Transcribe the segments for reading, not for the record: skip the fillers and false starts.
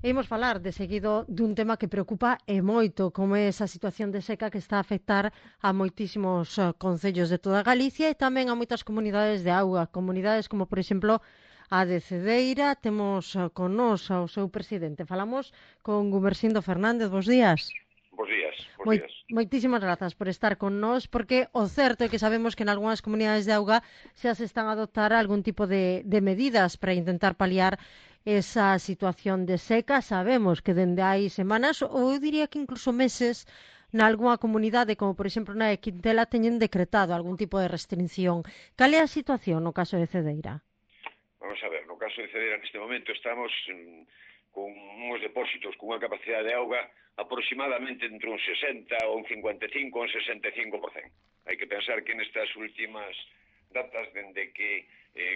E imos falar de seguido dun tema que preocupa e moito, como é esa situación de seca que está a afectar a moitísimos concellos de toda Galicia e tamén a moitas comunidades de auga, comunidades como, por exemplo, a de Cedeira. Temos con nos ao seu presidente. Falamos con Gumersindo Fernández. Bos días. Bos días, bos días. Moitísimas grazas por estar con nós, porque o certo é que sabemos que en algunhas comunidades de auga xa se están a adoptar algún tipo de medidas para intentar paliar esa situación de seca. Sabemos que dende hai semanas, ou eu diría que incluso meses, nalgúnha comunidade, como por exemplo na de Quintela, teñen decretado algún tipo de restricción. Cal é a situación no caso de Cedeira? Vamos a ver, no caso de Cedeira neste momento estamos con uns depósitos con unha capacidade de auga aproximadamente entre un 60 ou un 55 ou un 65%. Hai que pensar que nestas últimas datas, dende que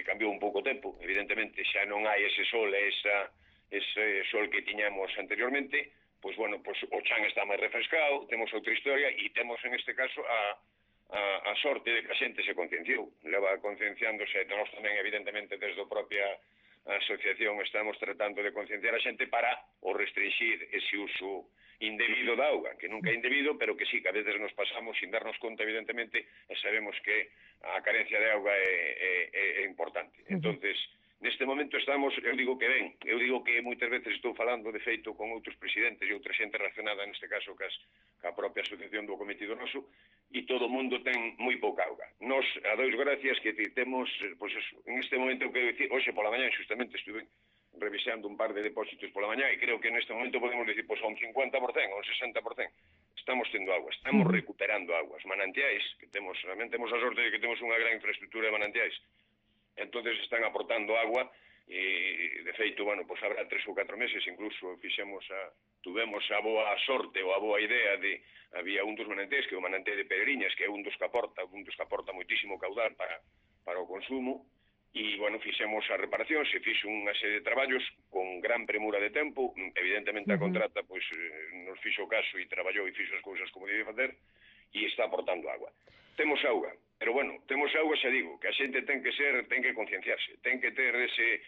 cambiou un pouco o tempo, evidentemente xa non hai ese sol e ese sol que tiñamos anteriormente, pois bueno, pois o chan está máis refrescado, temos outra historia e temos en este caso a sorte de que a xente se concienciou, leva concienciándose, nós tamén evidentemente desde a propia asociación estamos tratando de concienciar a xente para o restringir ese uso indebido da auga, que nunca é indebido, pero que sí, que a veces nos pasamos sin darnos conta, evidentemente, e sabemos que a carencia de auga é importante. Entonces, neste momento estamos, eu digo que ben, eu digo que moitas veces estou falando de feito con outros presidentes e outra xente relacionada, neste caso, ca propia asociación do cometido noso, e todo o mundo ten moi pouca auga. Nos, a dois gracias, que temos, pois eso, en este momento, eu quero dicir, hoxe pola mañá, justamente estuve revisando un par de depósitos pola mañá e creo que neste momento podemos decir, pois, a un 50%, a un 60%, estamos tendo agua, estamos recuperando aguas. Manantiais, que temos, realmente temos a sorte de que temos unha gran infraestructura de manantiais, entonces están aportando agua e, de feito, bueno, pois habrá 3 ou 4 meses incluso tuvemos a boa sorte ou a boa idea de, había un dos manantiais, que é o manantiai de Pedriñas, que é un dos que aporta moitísimo caudal para o consumo, e, bueno, fixemos a reparación, se fixo unha serie de traballos con gran premura de tempo, evidentemente a contrata, pois, nos fixo caso e traballou e fixo as cousas como debe facer, e está aportando agua. Temos auga, pero, bueno, temos auga, xa digo, que a xente ten que concienciarse, ten que ter ese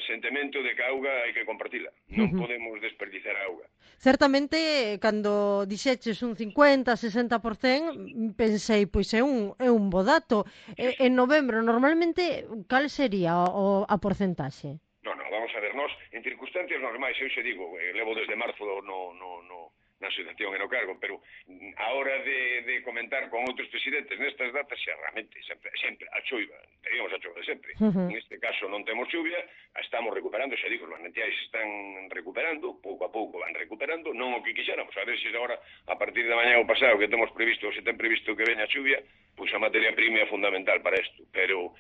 sentimento de que a auga hai que compartila, non podemos desperdiciar a auga. Certamente, cando dixeches un 50-60%, pensei, pois é un bo dato. En novembro, normalmente, cal sería a porcentaxe? Non, vamos a ver, nós, en circunstancias normais, eu xe digo, levo desde marzo na asociación e no cargo, pero a hora de comentar con outros presidentes nestas datas, xa realmente, sempre a choiva, teríamos a choiva sempre. En este caso non temos chuvia, estamos recuperando, xa digo, os manantiais están recuperando, pouco a pouco van recuperando, non o que quixéramos, a ver se agora, a partir de mañá o pasado, que temos previsto, se ten previsto que veña a chuvia, pois a materia prima é fundamental para isto, pero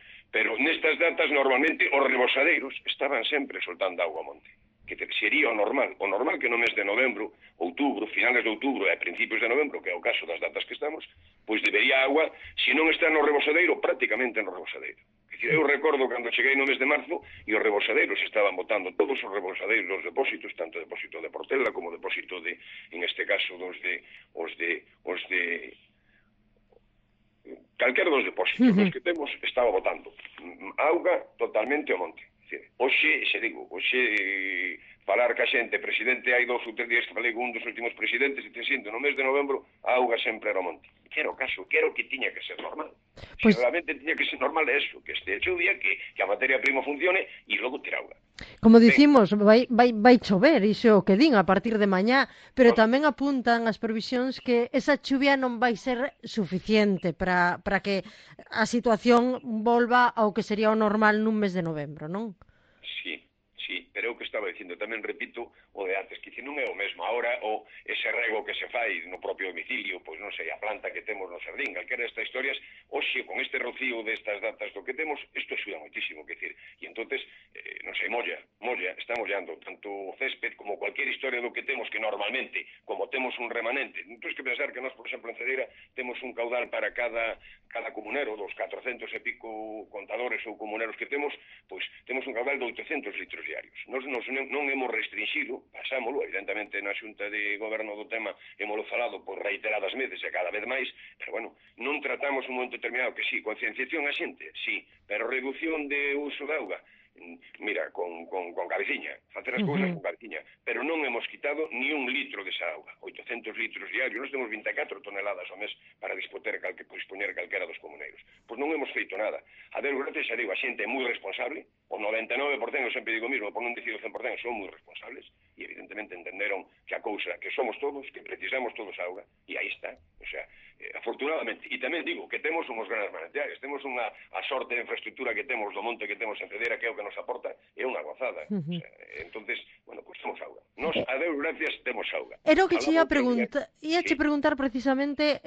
nestas datas normalmente os rebosadeiros estaban sempre soltando auga ao monte, que sería o normal que no mes de novembro, outubro, finales de outubro e principios de novembro, que é o caso das datas que estamos, pois debería agua, se non está no rebosadeiro, prácticamente no rebosadeiro. Eu recordo cando cheguei no mes de marzo e os rebosadeiros estaban botando todos os rebosadeiros dos depósitos, tanto o depósito de Portela como o depósito de, en este caso, os de calquera dos depósitos, os que temos, estaba botando auga totalmente ao monte. Hoxe, xe digo, falar ca xente, presidente, hai 2 ou 3 días que falei con un dos últimos presidentes e te sinto, no mes de novembro, a auga sempre era ao monte. Quero caso, quero que tiña que ser normal. Pues, se realmente tiña que ser normal é eso, que este chuvia, que a materia prima funcione e logo ter auga. Como dicimos, vai chover, iso é o que din a partir de mañá, pero tamén apuntan as previsións que esa chuvia non vai ser suficiente para que a situación volva ao que sería o normal nun mes de novembro, non? Sí, pero é o que estaba dicindo, tamén repito o de antes, que non é o mesmo agora o ese rego que se fai no propio domicilio, pois non sei, a planta que temos no xardín, calquera destas historias, hoxe con este rocío destas datas do que temos, isto axuda moitísimo, que decir, e entonces, non sei, molla, está mollando tanto o césped como cualquier historia do que temos, que normalmente, como temos un remanente, non tens que pensar que nós, por exemplo, en Cedeira, temos un caudal para cada comunero, dos 400 e pico contadores ou comuneros que temos, pois temos un caudal de 800 litros diarios. Nos non hemos restringido, pasámolo, evidentemente na Xunta de Goberno do tema hemos falado por reiteradas veces e cada vez máis, pero bueno, non tratamos un momento determinado que sí, concienciación a xente, sí, pero reducción de uso de auga, mira, con cabeciña, facer as cousas con cabeciña, pero non hemos quitado ni un litro desa auga, 800 litros diarios, nós temos 24 toneladas ao mes para dispoñer calquera dos comuneiros. Pois non hemos feito nada. A Deus gracias, xa digo, a xente é moi responsable, o 99%, eu sempre digo mismo, por non dicir o 100%, son moi responsables, e evidentemente entenderon que a cousa, que somos todos, que precisamos todos auga, e aí está. O sea, afortunadamente, e tamén digo que temos uns grandes manantiales, temos a sorte de infraestructura que temos do monte que temos en Cedera, que é o que nos aporta, é unha gozada. O sea, entonces, bueno, pues temos auga. Nos, a Deus gracias, temos auga. Era o que che ia preguntar precisamente,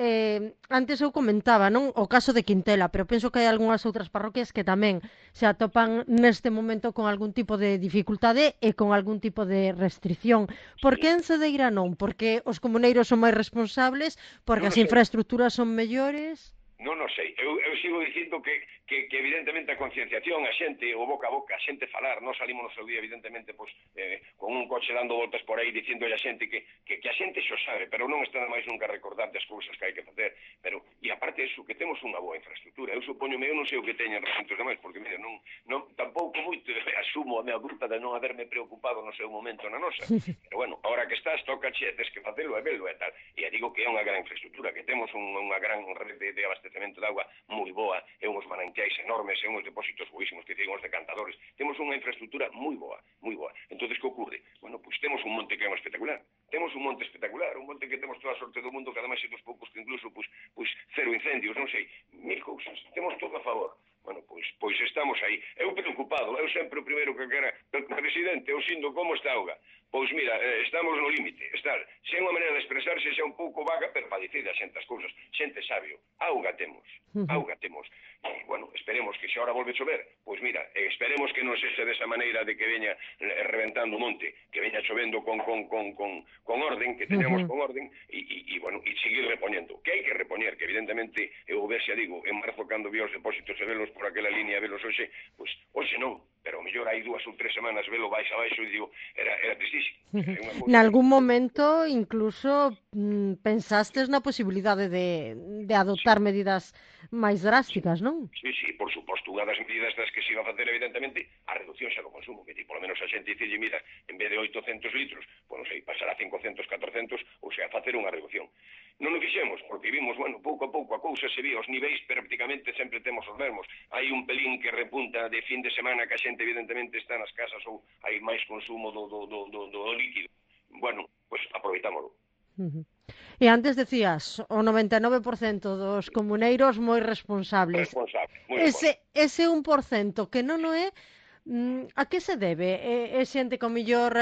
antes eu comentaba, non, o caso de Quintela, pero penso que hai algunhas outras parroquias que tamén se atopan neste momento con algún tipo de dificultade e con algún tipo de restricción. Por que en Cedeira non? Porque os comuneiros son máis responsables, porque as infraestructuras son mellores? Non sei, eu sigo dicindo que evidentemente a concienciación, a xente, o boca a boca, a xente falar, non salimos no seu día evidentemente con un coche dando voltas por aí dicindo a xente que a xente xo sabe, pero non está máis nunca a recordar das cousas que hai que facer, pero e aparte iso, que temos unha boa infraestructura. Eu supoñome, eu non sei o que teñen recintos demais, porque mira, non tampouco moito asumo a mea culpa de non haberme preocupado no seu momento na nosa, pero bueno, ahora que estás, toca che, tes que facelo e velo e tal, e digo que é unha gran infraestructura, que temos unha gran rede de abastecemento de auga moi boa, e uns manantiais enormes, e uns depósitos boísimos, que ten uns decantadores, temos unha infraestructura moi boa, moi boa. Entonces, que ocorre? Bueno, pois temos un monte que é espectacular, un monte que temos toda a sorte do mundo, que ademais é dos poucos que incluso, pois cero incendios, non sei, mil cousas, temos todo a favor. Bueno, pois estamos aí. Eu preocupado, eu sempre o primeiro que quera, presidente, eu sindo como está a auga. Pois mira, estamos no límite, se é unha maneira de expresarse xa un pouco vaga, pero para dicir a xente as cousas, xente sabio, auga temos. E, bueno, esperemos que se ahora volve a chover, pois mira, esperemos que non sexa desa maneira de que veña reventando o monte, que veña chovendo con orden, que teñamos con orden, e bueno, e seguir repoñendo, que hai que repoñer, que evidentemente, eu ver xa digo, en marzo cando vi os depósitos e velos por aquela línea, velos hoxe, pois hoxe non, pero o mellor hai 2 ou 3 semanas velo baixo e digo, era tristísimo. Nalgún momento incluso pensastes na posibilidade de adoptar medidas máis drásticas, non? Sí, por suposto, unha das medidas das que se iba a facer evidentemente a reducción xa do consumo, que polo menos a xente dicille, mira, en vez de 800 litros, pois non sei, pasar a 500, 400, ou sea, facer unha reducción. Non o fixemos, porque vimos, bueno, pouco a pouco a cousa se vía, os niveis prácticamente sempre temos os mesmos. Hai un pelín que repunta de fin de semana que a xente evidentemente está nas casas ou hai máis consumo do líquido. Bueno, pois aproveitámoslo. E antes decías, o 99% dos comuneiros moi responsables. Ese 1% que non o é, a que se debe? É xente que ao mellor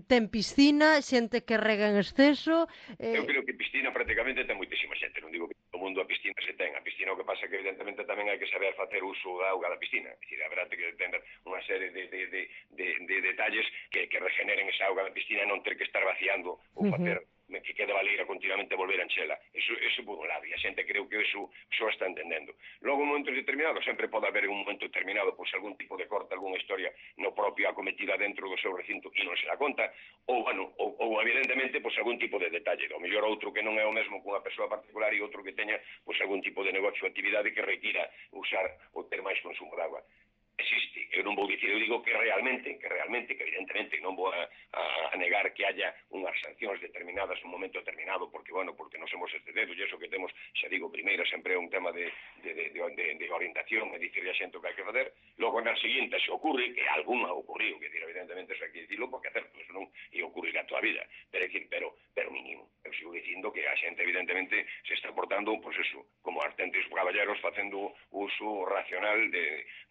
ten piscina, xente que rega en exceso? Eu creo que piscina prácticamente ten moitísima xente, non digo que todo o mundo a piscina se ten. A piscina o que pasa que evidentemente tamén hai que saber facer uso da auga da piscina. É dicir, habrá que ter unha serie de detalles que regeneren esa auga da piscina e non ter que estar vaciando ou facer que quede valeira continuamente volver a enchela. Eso por un lado, e a xente creo que eso está entendendo. Logo, en momentos determinados, sempre pode haber un momento determinado, pois algún tipo de corte, algunha historia no propio acometida dentro do seu recinto e non se dá conta, ou evidentemente, pois algún tipo de detalle, o mellor outro que non é o mesmo cunha persoa particular e outro que teña pois algún tipo de negocio ou actividade que requira usar ou ter máis consumo de agua. Existe, eu non vou dicir, eu digo que realmente, que evidentemente non vou a negar que haya unhas sancións determinadas nun momento determinado, porque nos hemos excedido, e iso que temos, xa digo, primeiro sempre é un tema de orientación, e dicir a xente o que hai que facer, logo na seguinte se ocurre, que algunha ocorriu, que evidentemente eso hai que dicirlo, porque hacer eso non ia ocurrir a toda a vida, pero mínimo. Eu sigo dicindo que a xente evidentemente se está portando, pois eso, como artentes caballeros facendo uso racional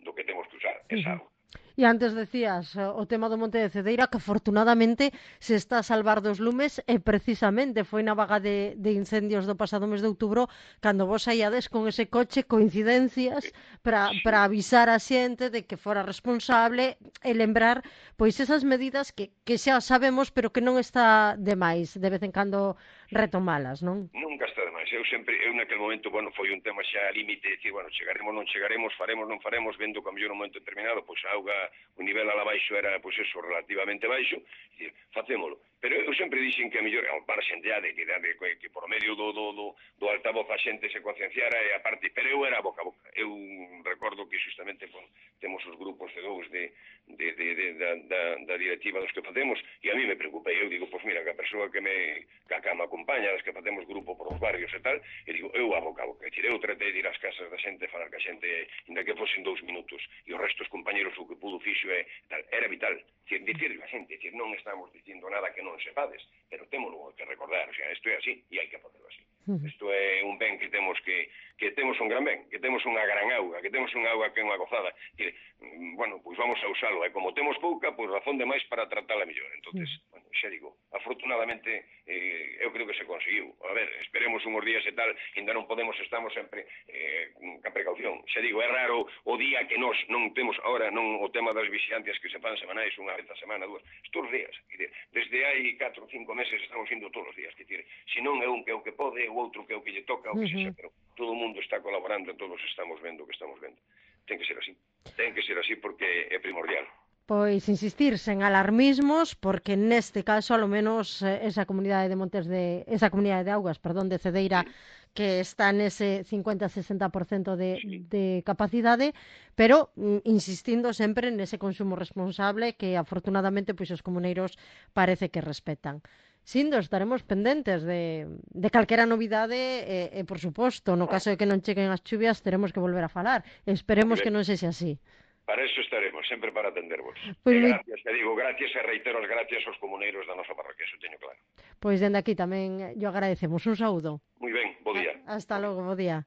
do que temos que usar, esa auga. E antes decías o tema do Monte de Cedeira, que afortunadamente se está a salvar dos lumes e precisamente foi na vaga de incendios do pasado mes de outubro cando vos saíades con ese coche, coincidencias, para avisar a xente de que fora responsable e lembrar pois esas medidas que xa sabemos pero que non está de máis de vez en cando retomalas, non? Nunca está de máis. Eu naquele momento, foi un tema xa límite, dicir, chegaremos, non chegaremos, faremos, non faremos, vendo que a mellor un momento determinado, pois a auga, o nivel ala baixo era, pois eso, relativamente baixo, dicir, facémolo. Pero eu sempre dixen que a mellor, ao marxen que por medio do altavoz a xente se concienciara e a parte, pero eu era boca a boca. Eu recordo que justamente temos os grupos de dous da directiva dos que facemos, e a mí me preocupei, eu digo, pois mira, que a persoa que me acompaña, das que facemos grupo por os barrios e tal, e digo, eu a boca, é dicir, eu tratei de ir ás casas da xente, falar que a xente, ainda que fosen 2 minutos, e os restos compañeros o que pudo fixo e tal, era vital, dicirle a xente, dicir, non estamos dicindo nada que non sepades, pero temos que recordar, o sea, isto é así, e hai que facelo así. Isto é un ben que temos temos un gran ben, que temos unha gran auga, que temos unha auga que é unha gozada, que, bueno, pois vamos a usalo, e como temos pouca, pois razón de máis para tratala mellor. Entonces, bueno, xa digo, afortunadamente, eu creo que se conseguiu. A ver, esperemos unhos días e tal, ainda non podemos, estamos sempre ca precaución. Xa digo, é raro o día que nós non temos, ahora non o tema das vixiantes que se fan semanais, unha vez a semana, dúas, estos días, desde hai 4 ou 5 meses estamos indo todos os días, que decir, se non é un que é o que pode, o outro que é o que lle toca, o que sexa, pero todo o mundo está colaborando, todos estamos vendo o que estamos vendo. Ten que ser así. Ten que ser así porque é primordial. Pois insistir sen alarmismos, porque neste caso, alo menos, esa comunidade de augas, perdón, de Cedeira, que está nese 50-60% de capacidade, pero insistindo sempre nese consumo responsable que afortunadamente pois os comuneiros parece que respetan. Sindo, estaremos pendentes de calquera novidade e, por suposto, no caso de que non cheguen as chuvias, teremos que volver a falar. Esperemos que non sexa así. Para eso estaremos, sempre para atendervos. Pois gracias, te digo, gracias e reitero as gracias aos comuneiros da nosa parroquia, eso teño claro. Pois dende aquí tamén yo agradecemos. Un saúdo. Moi ben, bo día. Hasta logo, bo día.